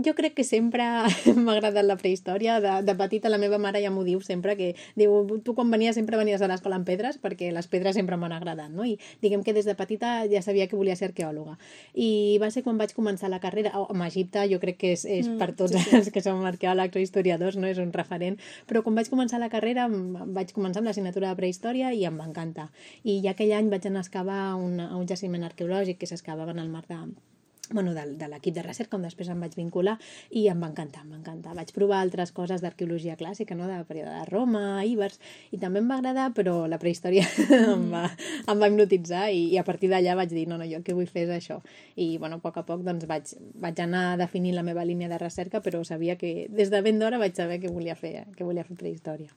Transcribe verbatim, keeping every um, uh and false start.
jo crec que sempre m'ha agradat la prehistòria. De, de petita la meva mare ja m'ho diu sempre, que diu, tu quan venies sempre venies a l'escola amb pedres, perquè les pedres sempre m'han agradat, no? I diguem que des de petita ja sabia que volia ser arqueòloga. I va ser quan vaig començar la carrera, oh, amb Egipte jo crec que és, és mm, per tots sí, sí. els que som arqueòlegs o historiadors, no? És un referent, però quan vaig començar la carrera vaig començar amb l'assignatura de prehistòria i em va encantar. I ja aquell any vaig anar a excavar un, un jaciment arqueològic que s'excavava en el mar de... bueno, de, de l'equip de recerca, on després em vaig vincular i em va encantar, em va encantar. Vaig provar altres coses d'arqueologia clàssica, no? Del període de Roma, Ibers, i també em va agradar, però la prehistòria mm. em, va, em va hipnotitzar i, i a partir d'allà vaig dir, no, no, jo el que vull fer és això. I, bueno, a poc a poc doncs, vaig, vaig anar definint la meva línia de recerca, però sabia que des de ben d'hora vaig saber que volia fer, que volia fer prehistòria.